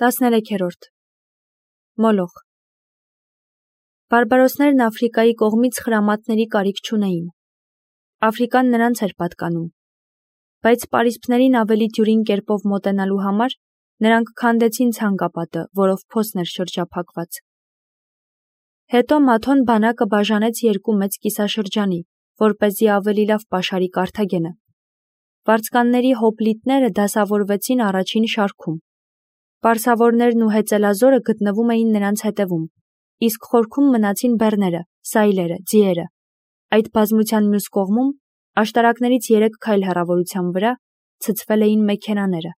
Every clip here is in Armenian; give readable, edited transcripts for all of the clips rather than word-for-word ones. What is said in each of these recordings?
13-րդ Մոլոխ Բարբարոսներն Աֆրիկայի կողմից խրամատների կարիք չունեին։ Աֆրիկան նրանց էր պատկանում, բայց պարիսպներին ավելի դյուրին կերպով մոտենալու համար նրանք քանդեցին ցանկապատը, որով փոսն էր շրջափակված։ Հետո Մաթոն բանակը բաժանեց երկու մեծ կիսաշրջանի, որպեսզի ավելի լավ պաշարի Կարթագենը։ Վարձկանների հոպլիտները դասավորվեցին առաջին շարքում։ Պարսավորներն ու հեծելազորը գտնվում էին նրանց հետևում, իսկ խորքում մնացին բեռները, սայլերը, ձիերը։ Այդ բազմության մյուս կողմում, աշտարակներից 3 քայլ հեռավորության վրա, ցցվել էին մեքենաները։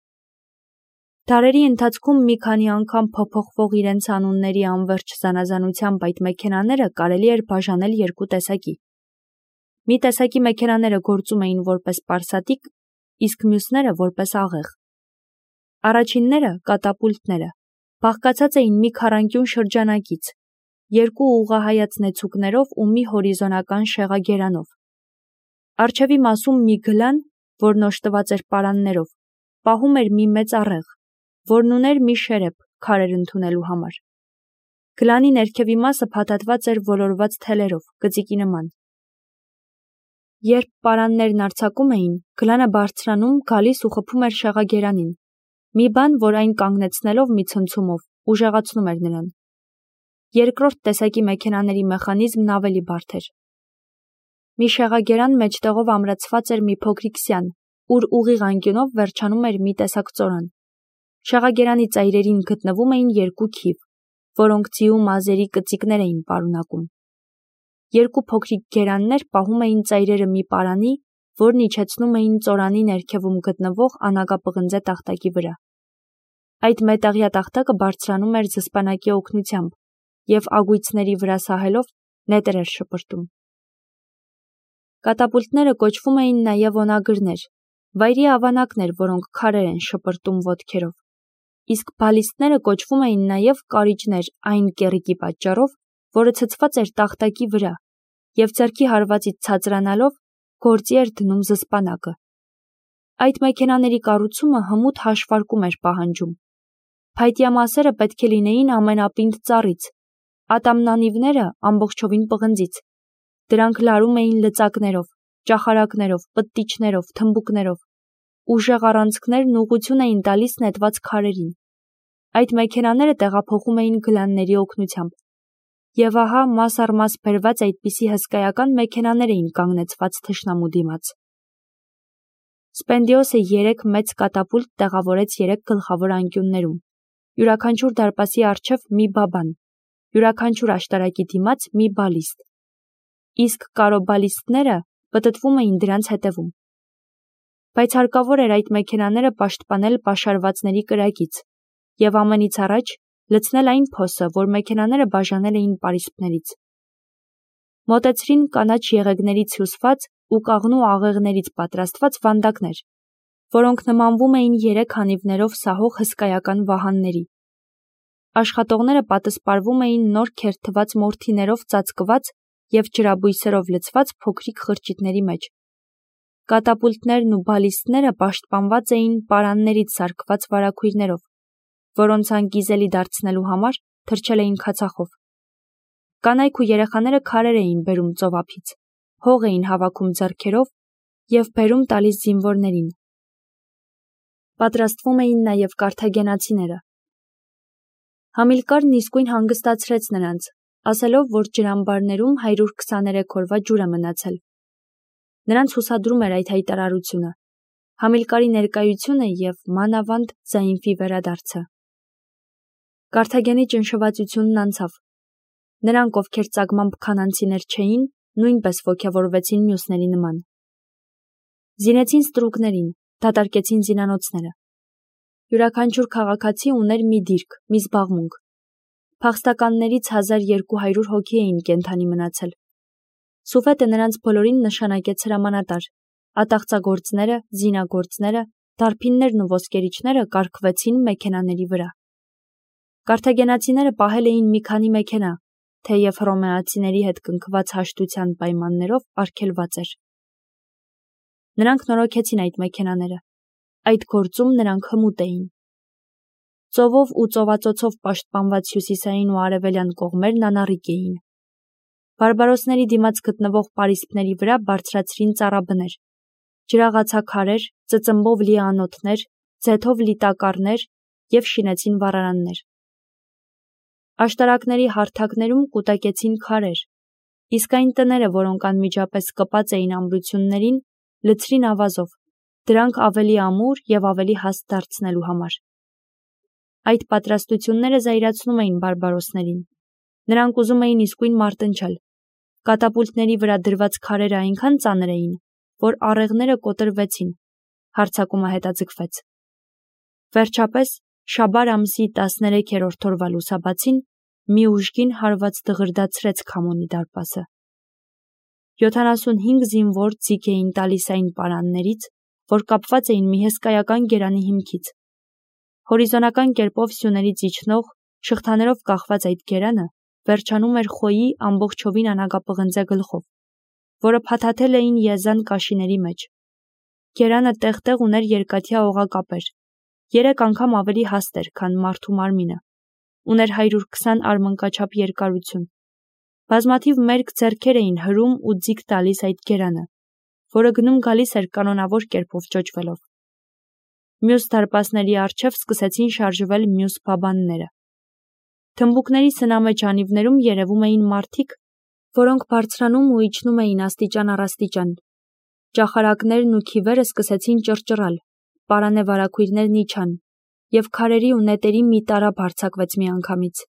Դարերի ընթացքում մի քանի անգամ փոփոխվող իրենց անունների անվերջ զանազանությամբ այդ մեքենաները կարելի էր բաժանել երկու տեսակի։ Մի տեսակի մեքենաները գործում էին որպես պարսատիկ, իսկ մյուսները որպես աղեղ։ Առաջինները, կատապուլտները, բաղկացած էին մի քառանկյուն շրջանակից, երկու ուղղահայաց նեցուկներով ու մի հորիզոնական շեղագերանով։ Առջևի մասում մի գլան, որն օժտված էր պարաններով, պահում էր մի մեծ աղեղ, որն ուներ մի շերեփ քարեր ընդունելու համար։ Գլանի ներքևի մասը փաթաթված էր ոլորված թելերով, գծիկի նման։ Երբ պարաններն արձակում էին, գլանը բարձրանում, գալիս ու խփում էր շեղագերանին, մի բան, որ այն կանգնեցնելով մի ցնցումով, ուժեղացնում էր նրան։ Երկրորդ տեսակի մեքենաների մեխանիզմն ավելի բարդ էր։ Մի շեղագերան մեջտեղով ամրացված էր մի փոքրիկ սյան, ուր ուղիղ անկյունով վերջանում էր մի տեսակ ծորան։ Շեղագերանի ծայրերին գտնվում էին երկու քիվ, որոնք ձիու մազերի կծիկներ էին պարունակում։ Երկու փոքրիկ գերաններ պահում էին ծայրերը մի պարանի, որն իջեցնում էին ծորանի ներքևում գտնվող անագապղնձե տախտակի վրա։ Այդ մետաղյա տախտակը բարձրանում էր զսպանակի օգնությամբ և ագույցների վրա սահելով նետեր էր շպրտում։ Կատապուլտները կոչվում էին նաև օնագրներ, վայրի ավանակներ, որոնք քարեր են շպրտում ոտքերով, իսկ բալիստները կոչվում էին նաև կարիճներ այն կեռիկի պատճառով, որը ցցված էր տախտակի վրա և ձեռքի հարվածից ցածրանալով գործի էր դնում զսպանակը։ Այդ մեքենաների կառուցումը հմուտ հաշվարկում էր պահանջում։ Փայտյա մասերը պետք է լինեին ամենապինդ ծառից, ատամնանիվները ամբողջովին պղնձից։ Դրանք լարում էին լծակներով, ճախարակներով, պտտիչներով, թմբուկներով։ Ուժեղ առանցքներն ուղղություն էին տալիս նետված քարերին։ Այդ մեքենաները տեղափոխում էին գլանների օգնությամբ։ Եվ ահա մաս առ մաս բերված այդպիսի հսկայական մեքենաներ էին կանգնեցված թշնամու դիմաց։ Սպենդիոսը 3 մեծ կատապուլտ տեղավորեց 3 գլխավոր անկյուններում, յուրաքանչյուր դարպասի առջև մի բաբան, յուրաքանչյուր աշտարակի դիմաց մի բալիստ, իսկ կարոբալիստները պտտվում էին դրանց հետևում։ Բայց հարկավոր էր այդ մեքենաները պաշտպանել պաշարվածների կրակից և ամենից առաջ լցնել այն փոսը, որ մեքենաները բաժանել էին պարիսպներից։ Մոտեցրին կանաչ եղեգներից հյուսված ու կաղնու աղեղներից պատրաստված վանդակներ, որոնք նմանվում էին 3 հանիվներով սահող հսկայական վահանների։ Աշխատողները պատսպարվում էին նոր քերթված մորթիներով ծածկված և ջրաբույսերով լցված փոքրիկ խրճիթների մեջ։ Կատապուլտներն ու բալիստները պաշտպանված էին պարաններից սարքված վարագույրներով, որոնց անկիզելի դարձնելու համար թրջել էին քացախով։ Կանայք ու երեխաները քարեր էին բերում ծովափից, հող էին հավաքում ձեռքերով և բերում տալիս զինվորներին։ Պատրաստվում էին նաև կարթագենացիները։ Համիլկարն իսկույն հանգստացրեց նրանց, ասելով, որ ջրամբարներում 123 օրվա ջուր է մնացել։ Նրանց հուսադրում էր այդ հայտարարությունը, Համիլկարի ներկայությունը և մանավանդ Զայինֆի վերադարձը։ Կարթագենի ճնշվածությունն անցավ։ Նրանք, ովքեր ծագմամբ քանանցիներ չէին, նույնպես ոգևորվեցին մյուսների նման։ Զինեցին ստրուկներին, դատարկեցին զինանոցները։ Յուրաքանչյուր քաղաքացի ուներ մի դիրք, մի զբաղմունք։ Փախստականներից 1200 հոգի էին կենդանի մնացել։ Սուֆետը նրանց բոլորին նշանակեց հրամանատար։ Ատաղծագործները, զինագործները, դարբիններն ու ոսկերիչները կարգվեցին մեքենաների վրա։ Կարթագենացիները պահել էին մի քանի մեքենա, թեև հռոմեացիների հետ կնքված հաշտության պայմաններով արգելված էր։ Նրանք նորոգեցին այդ մեքենաները։ Այդ գործում նրանք հմուտ էին։ Ծովով ու ծովածոցով պաշտպանված հյուսիսային ու արևելյան կողմերն անառիկ էին։ Բարբարոսների դիմաց գտնվող պարիսպների վրա բարձրացրին ծառաբներ, ջրաղացաքարեր, ծծմբով լի անոթներ, ձեթով լի տակառներ և շինեցին վառարաններ։ Աշտարակների հարթակներում կուտակեցին քարեր, իսկ այն տները, որոնք անմիջապես կպած էին ամրություններին, լցրին ավազով, դրանք ավելի ամուր և ավելի հաստ դարձնելու համար։ Այդ պատրաստությունները զայրացնում էին բարբարոսներին։ Նրանք ուզում էին իսկույն մարտնչել։ Կատապուլտների վրա դրված քարերը այնքան ծանր էին, որ առեղները կոտրվեցին, հարձակումը հետաձգվեց։ Վերջապես, շաբար ամսի 13-րդ օրվա լուսաբացին մի ուժգին հարված դղրդացրեց Քամոնի դարպասը։ 75 զինվոր ձիգ էին տալիս այն պարաններից, որ կապված էին մի հսկայական գերանի հիմքից։ Հորիզոնական կերպով սյուներից իջնող, շղթաներով կախված այդ գերանը վերջանում էր Խոյի ամբողջովին անագապղնձե գլխով, որը փաթաթել էին եզան կաշիների մեջ։ Գերանը տեղ-տեղ ուներ երկաթյա օղակապեր, 3 անգամ ավելի հաստ էր, քան մարդու մարմինը, ուներ 120 արմնկաչափ երկարություն։ Բազմաթիվ մերկ ձեռքեր էին հրում ու ձիգ տալիս այդ գերանը, որը գնում գալիս էր կանոնավոր կերպով ճոճվելով։ Մյուս դարպասների առջև սկսեցին շարժվել մյուս բաբանները։ Թմբուկների սնամեջ անիվներում երևում էին մարդիկ, որոնք բարձրանում ու իջնում էին աստիճան առ աստիճան։ Ճախարակներն ու քիվերը սկսեցին ճռճռալ, պարանե վարագույրներն իջան, և քարերի ու նետերի մի տարափ արձակվեց միանգամից։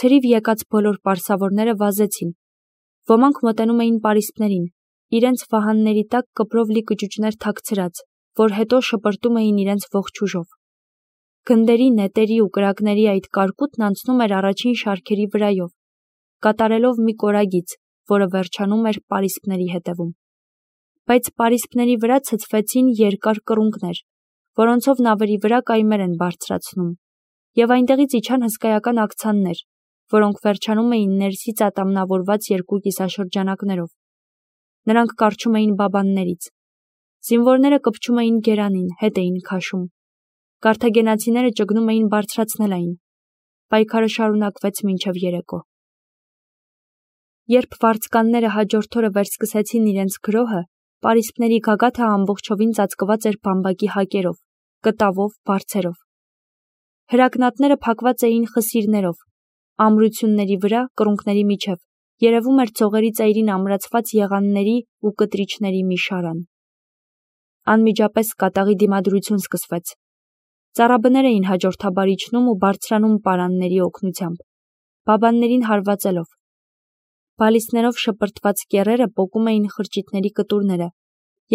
Ցրիվ եկած բոլոր պարսավորները վազեցին։ Ոմանք մոտենում էին պարիսպներին, իրենց վահանների տակ կպրով լի կճուճներ թաքցրած, որ հետո շպրտում էին իրենց ողջ ուժով։ Գնդերի, նետերի ու կրակների այդ կարկուտն անցնում էր առաջին շարքերի վրայով, կատարելով մի կորագիծ, որը վերջանում էր պարիսպների հետևում։ Բայց պարիսպների վրա ցցվեցին երկար կռունկներ, որոնցով նավերի վրա կայմեր են բարձրացնում, և այնտեղից իջան հսկայական աքցաններ, որոնք վերջանում էին ներսից ատամնավորված 2 կիսաշրջանակներով։ Նրանք կառչում էին բաբաններից։ Զինվորները կպչում էին գերանին, հետ էին քաշում։ Կարթագենացիները ճգնում էին բարձրացնել այն։ Պայքարը շարունակվեց մինչև երեկո։ Երբ վարձկանները հաջորդ օրը վերսկսեցին իրենց գրոհը, պարիսպների գագաթը ամբողջովին ծածկված էր բամբակի հակերով, կտավով, բարձերով։ Հրակնատները փակված էին խսիրներով, ամրությունների վրա, կռունկների միջև, երևում էր ծողերի ծայրին ամրացված եղանների ու կտրիչների մի շարան։ Անմիջապես կատաղի դիմադրություն սկսվեց։ Ծառաբներ էին հաջորդաբար իջնում ու բարձրանում պարանների օգնությամբ, բաբաններին հարվածելով։ Բալիստներով շպրտված կեռերը պոկում էին խրճիթների կտուրները,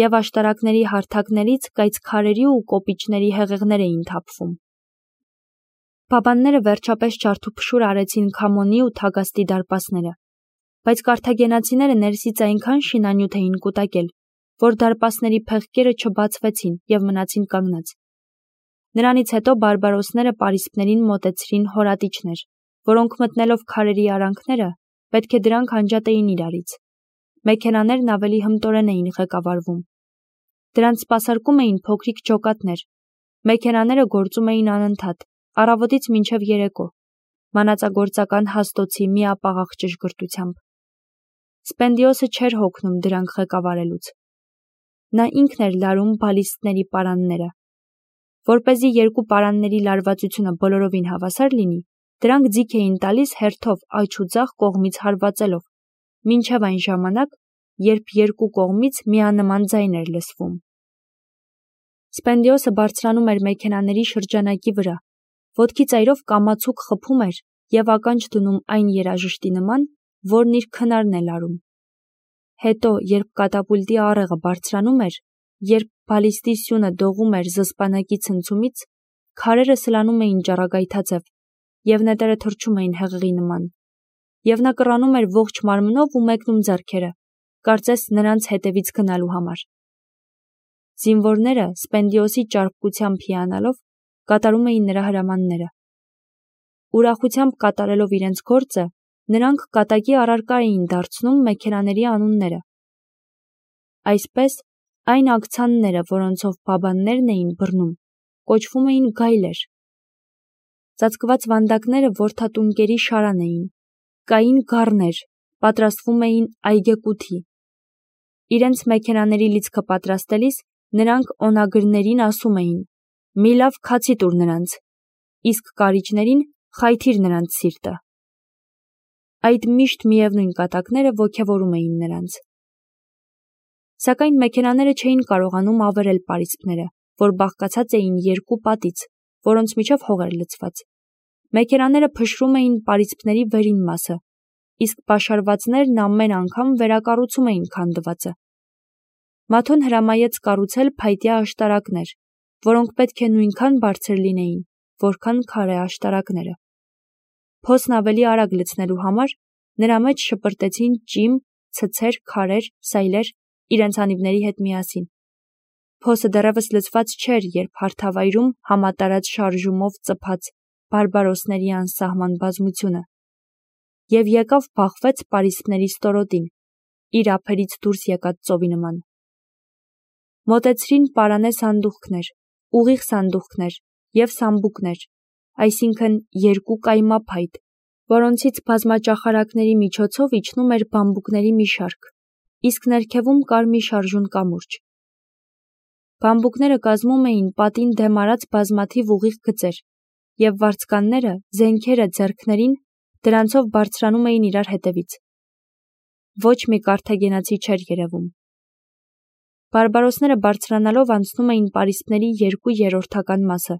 և աշտարակների հարթակներից կայծ քարերի ու կոպիճների հեղեղներ էին թափվում։ Բաբանները վերջապես ջարդուփշուր արեցին Քամոնի ու Թագաստի դարպասները, բայց կարթագենացիները ներսից այնքան շինանյութ էին կուտակել, որ դարպասների փեղկերը չբացվեցին և մնացին կանգնած։ Նրանից հետո բարբարոսները պարիսպներին մոտեցրին հորատիչներ, որոնք մտնելով քարերի արանքները, պետք է դրանք անջատեին իրարից։ Մեքենաներն ավելի հմտորեն էին ղեկավարվում։ Դրանց սպասարկում էին փոքրիկ ջոկատներ։ Մեքենաները գործում էին անընդհատ, առավոտից մինչև երեկո, մանածագործական հաստոցի միապաղաղ ճշգրտությամբ։ Սպենդիոսը չէր հոգնում դրանք ղեկավարելուց։ Նա ինքն էր լարում բալիստների պարանները։ Որպեսզի 2 պարանների լարվածությունը բոլորովին հավասար լինի, դրանք ձիգ էին տալիս հերթով աջ ու ձախ կողմից հարվածելով, մինչև այն ժամանակ, երբ 2 կողմից միանման ձայն էր լսվում։ Սպենդիոսը բարձրանում էր մեքենաների շրջանակի վրա, ոտքի ծայրով կամացուկ խփում էր և ականջ դնում այն երաժշտի նման, որն իր քնարն է լարում։ Հետո, երբ կատապուլտի առեղը բարձրանում էր, երբ բալիստի սյունը դողում էր զսպանակի ցնցումից, քարերը սլանում էին ճառագայթաձև, և նետերը թռչում էին հեղեղի նման, և նա կռանում էր ողջ մարմնով ու մեկնում ձեռքերը, կարծես նրանց հետևից գնալու համար։ Զինվորները, Սպենդիոսի ճարպկությամբ հիանալով, կատարում էին նրա հրամանները։ Ուրախությամբ կատարելով իրենց գործը, նրանք կատակի առարկա էին դարձնում մեքենաների անունները։ Այսպես, այն աքցանները, որոնցով բաբաններն էին բռնում, կոչվում էին գայլեր, Ծածկված վանդակները որդատունկերի շարան էին, կային գառներ, պատրաստվում էին այգեկութի։ Իրենց մեքենաների լիցքը պատրաստելիս նրանք օնագրներին ասում էին. «Մի լավ քացի տուր նրանց», իսկ կարիճներին «խայթիր նրանց սիրտը»։ Այդ միշտ միևնույն կատակները ոգևորում էին նրանց։ Սակայն մեքենաները չէին կարողանում ավերել պարիսպները, որ բաղկացած էին երկու պատից, որոնց միջև հող էր լցված։ Մեքենաները փշրում էին պարիսպների վերին մասը, իսկ պաշարվածներն ամեն անգամ վերակառուցում էին քանդվածը։ Մաթոն հրամայեց կառուցել փայտյա աշտարակներ, որոնք պետք է նույնքան բարձր լինեին, որքան քարե աշտարակները։ Փոսն ավելի արագ լցնելու համար նրա մեջ շպրտեցին ճիմ, ցցեր, քարեր, սայլեր իրենց անիվների հետ միասին։ Փոսը դեռևս լցված չէր, երբ հարթավայրում համատարած շարժումով ծփաց բարբարոսների անսահման բազմությունը և եկավ բախվեց պարիսպների ստորոտին, իր ափերից դուրս եկած ծովի նման։ Մոտեցրին պարանե սանդուղքներ, ուղիղ սանդուղքներ և սամբուկներ, այսինքն երկու կայմափայտ, որոնցից բազմաճախարակների միջոցով իջնում էր բամբուկների մի շարք, իսկ ներքևում կար մի շարժուն կամուրջ։ Բամբուկները կազմում էին պատին դեմ արած բազմաթիվ ուղիղ գծեր, և վարձկանները, զենքերը ձեռքներին դրանցով բարձրանում էին իրար հետևից։ Ոչ մի կարթագենացի չէր երևում։ Բարբարոսները բարձրանալով անցնում էին պարիսպների 2/3 մասը։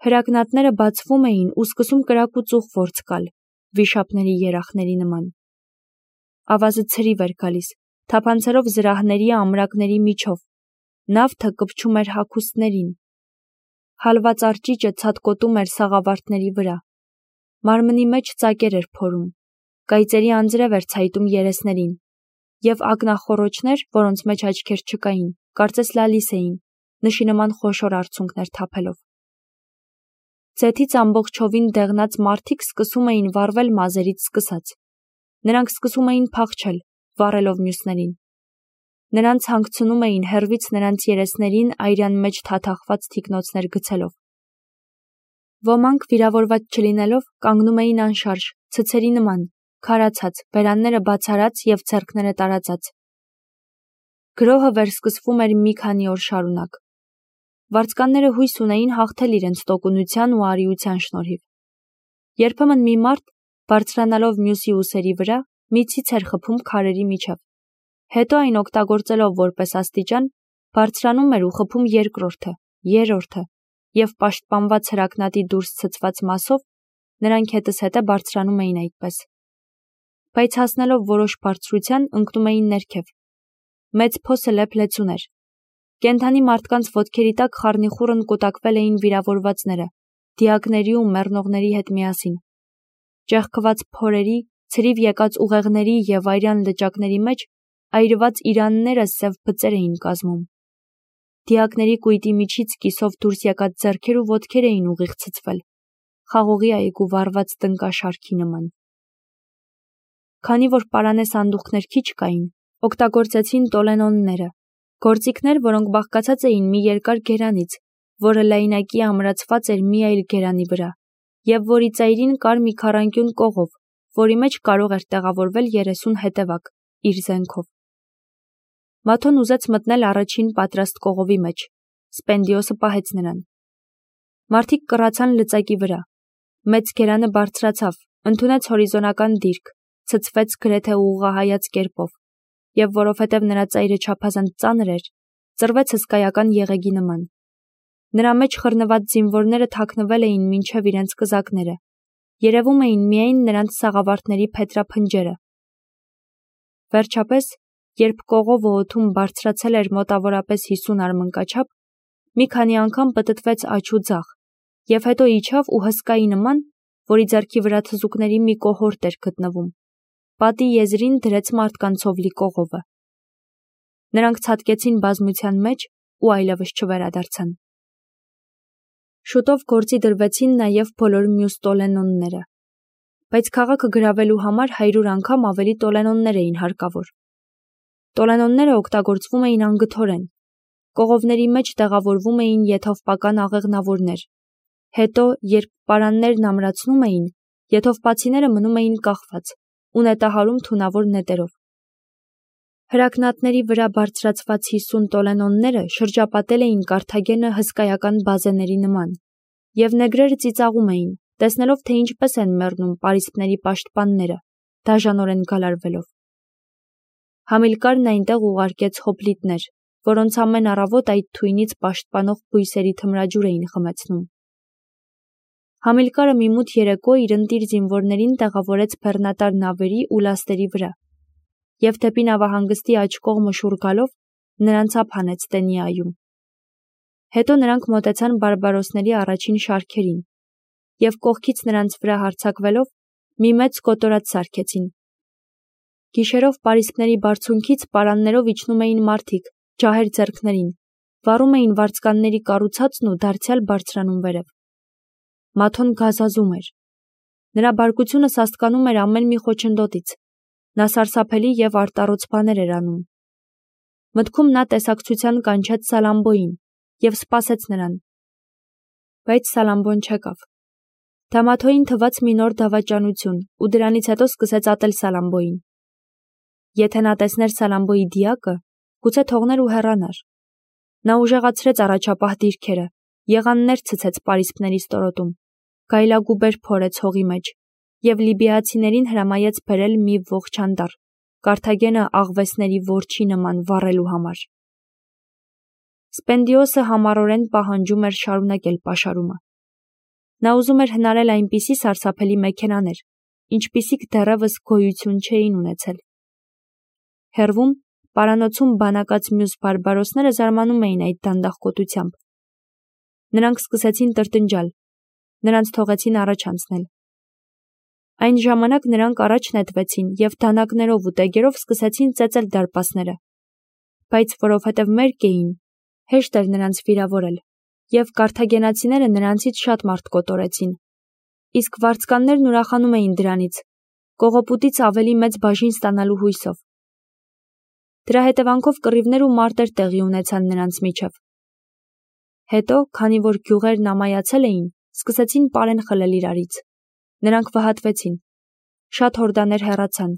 Հրակնատները բացվում էին ու սկսում կրակ ու ծուխ ворցկալ, վիշապների երախների նման։ Ավազը ցրիվ էր գալիս, թափանցելով զրահների ամրակների միջով, նավթը կպչում էր հագուստներին։ Հալված արճիճը ցատկոտում էր սաղավարտների վրա, մարմնի մեջ ծակեր էր փորում, կայծերի անձրև էր ցայտում երեսներին, և ակնախոռոչներ, որոնց մեջ աչքեր չկային, կարծես լալիս էին, նշի նման խոշոր արցունքներ թափելով։ Ձեթից ամբողջովին դեղնած մարդիկ սկսում էին վառվել մազերից սկսած։ Նրանք սկսում էին փախչել, վառելով մյուսներին։ Նրանց հանգցնում էին հեռվից նրանց երեսներին այրան մեջ թաթախված թիկնոցներ գցելով։ Ոմանք վիրավորված չլինելով կանգնում էին անշարժ, ցցերի նման, քարացած, բերանները բացարած և ձեռքները տարածած։ Գրոհը վերսկսվում էր մի քանի օր շարունակ։ Վարձկանները հույս ունեին հաղթել իրենց տոկունության ու արիության շնորհիվ։ Երբեմն մի մարդ, բարձրանալով մյուսի ուսերի վրա, մի ցից էր խփում քարերի միջև։ Հետո այն օգտագործելով որպես աստիճան, բարձրանում էր ու խփում երկրորդը, երրորդը, և պաշտպանված հրակնատի դուրս ցցված մասով նրանք հետզհետե բարձրանում էին այդպես։ Բայց հասնելով որոշ բարձրության, ընկնում էին ներքև։ Մեծ փոսը լեփլեցուն էր։ Կենդանի մարդկանց ոտքերի տակ խառնիխուռն կուտակվել էին վիրավորվածները, դիակների ու մեռնողների հետ միասին։ Ճեղքված փորերի, ցրիվ եկած ուղեղների և այրան լճակների մեջ այրված իրանները սև բծեր էին կազմում։ Դիակների կույտի միջից կիսով դուրս եկած ձեռքեր ու ոտքեր էին ուղիղ ցցվել, խաղողի այգու վառված տնկաշարքի նման։ Քանի որ պարանե սանդուղքներ քիչ կային, օգտագործեցին տոլենոնները, գործիքներ, որոնք բաղկացած էին մի երկար գերանից, որը լայնակի ամրացված էր մի այլ գերանի վրա, և որի ծայրին կար մի քառանկյուն կողով, որի մեջ կարող էր տեղավորվել 30 հետևակ, իր զենքով։ Մաթոն ուզեց մտնել առաջին պատրաստ կողովի մեջ, Սպենդիոսը պահեց նրան։ Մարդիկ կռացան լծակի վրա։ Մեծ գերանը բարձրացավ, ընդունեց հորիզոնական դիրք, ցցվեց գրեթե ուղղահայաց կերպով, և որովհետև նրա ծայրը չափազանց ծանր էր, ծռվեց հսկայական եղեգի նման։ Նրա մեջ խռնված զինվորները թաքնվել էին մինչև իրենց կզակները, երևում էին միայն նրանց սաղավարտների փետրափնջերը։ Վերջապես, երբ կողովը օդում բարձրացել էր մոտավորապես 50 արմնկաչափ, մի քանի անգամ պտտվեց աջ ու ձախ, և հետո իջավ ու հսկայի նման, որի ձեռքի վրա թզուկների մի կոհորտ էր գտնվում, պատի եզրին դրեց մարդկանցով լի կողովը։ Նրանք ցատկեցին բազմության մեջ ու այլևս չվերադարձան։ Շուտով գործի դրվեցին նաև բոլոր մյուս տոլենոնները, բայց քաղաքը գրավելու համար 100 անգամ ավելի տոլենոններ էին հարկավոր։ Տոլենոնները օգտագործվում էին անգթորեն։ Կողովների մեջ տեղավորվում էին եթովպական աղեղնավորներ, Հետո, երբ պարաններն ամրացնում էին, եթովպացիները մնում էին կախված ու նետահարում թունավոր նետերով։ Հրակնատների վրա բարձրացված 50 տոլենոնները շրջապատել էին Կարթագենը հսկայական բազեների նման, և նեգրերը ծիծաղում էին, տեսնելով, թե ինչպես են մեռնում պարիսպների պաշտպանները, դաժանորեն գալարվելով։ Համիլկարն այնտեղ ուղարկեց հոպլիտներ, որոնց ամեն առավոտ այդ թույնից պաշտպանող բույսերի թմրաջուր էին խմեցնում։ Համիլկարը մի մութ երեկո իր ընտիր զինվորներին տեղավորեց բեռնատար նավերի ու լաստերի վրա, և դեպի նավահանգստի աջ կողմը շուռ գալով նրանց ափ հանեց Տենիայում։ Հետո նրանք մոտեցան բարբարոսների առաջին շարքերին, և կողքից նրանց վրա հարձակվելով մի մեծ կոտորած սարքեցին։ Գիշերով պարիսպների բարձունքից պարաններով իջնում էին մարդիկ, ջահեր ձեռքներին, վառում էին վարձկանների կառուցածն ու դարձյալ բարձրանում վերև։ Մաթոն գազազում էր։ Նրա բարկությունը սաստկանում էր ամեն մի խոչընդոտից։ Նա սարսափելի և արտառոց բաներ էր անում։ Մտքում նա տեսակցության կանչեց Սալամբոյին և սպասեց նրան։ Բայց Սալամբոն չեկավ։ Դա Մաթոյին թվաց մի նոր դավաճանություն ու դրանից հետո սկսեց ատել Սալամբոյին։ Եթե նա տեսներ Սալամբոյի դիակը, գուցե թողներ ու հեռանար։ Նա ուժեղացրեց առաջապահ դիրքերը, եղաններ ցցեց պարիսպների ստորոտում, գայլագուբեր փորեց հողի մեջ և լիբիացիներին հրամայեց բերել մի ողջ անտառ, Կարթագենը աղվեսների որջի նման վառելու համար։ Սպենդիոսը համառորեն պահանջում էր շարունակել պաշարումը։ Նա ուզում էր հնարել այնպիսի սարսափելի մեքենաներ, ինչպիսիք դեռևս գոյություն չէին ունեցել։ Հեռվում, պարանոցում բանակած մյուս բարբարոսները զարմանում էին այդ դանդաղկոտությամբ։ Նրանք սկսեցին տրտնջալ, նրանց թողեցին առաջ անցնել։ Այն ժամանակ նրանք առաջ նետվեցին և դանակներով ու տեգերով սկսեցին ծեծել դարպասները, բայց որովհետև մերկ էին, հեշտ էր նրանց վիրավորել, և կարթագենացիները նրանցից շատ մարդ կոտորեցին, իսկ վարձկաններն ուրախանում էին դրանից, կողոպուտից ավելի մեծ բաժին ստանալու հույսով։ Դրա հետևանքով կռիվներ ու մարտեր տեղի ունեցան նրանց միջև։ Հետո, քանի որ գյուղերն ամայացել էին, սկսեցին պարեն խլել իրարից։ Նրանք վհատվեցին։ Շատ հորդաներ հեռացան,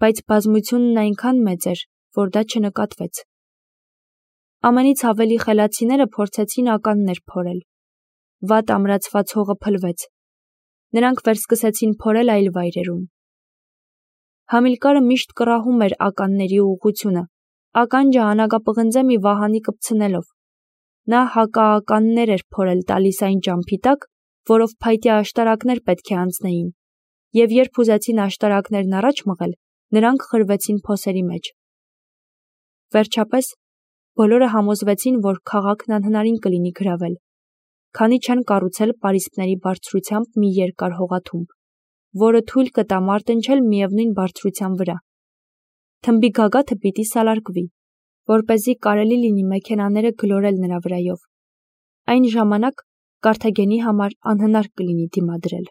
բայց բազմությունն այնքան մեծ էր, որ դա չնկատվեց։ Ամենից ավելի խելացիները փորձեցին ականներ փորել։ Վատ ամրացված հողը փլվեց։ Նրանք վերսկսեցին փորել այլ վայրերում։ Համիլկարը միշտ կռահում էր ականների ուղղությունը, ականջը անագապղնձե մի վահանի կպցնելով։ Նա հակաականներ էր փորել տալիս այն ճամփի տակ, որով փայտյա աշտարակներ պետք է անցնեին, և երբ ուզեցին աշտարակներն առաջ մղել, նրանք խրվեցին փոսերի մեջ։ Վերջապես, բոլորը համոզվեցին, որ քաղաքն անհնարին կլինի գրավել, քանի չեն կառուցել պարիսպների բարձրությամբ մի երկար հողաթումբ, որը թույլ կտա մարտնչել միևնույն բարձրության վրա։ Թմբի գագաթը պիտի սալարկվի, որպեսզի կարելի լինի մեքենաները գլորել նրա վրայով։ Այն ժամանակ Կարթագենի համար անհնար կլինի դիմադրել։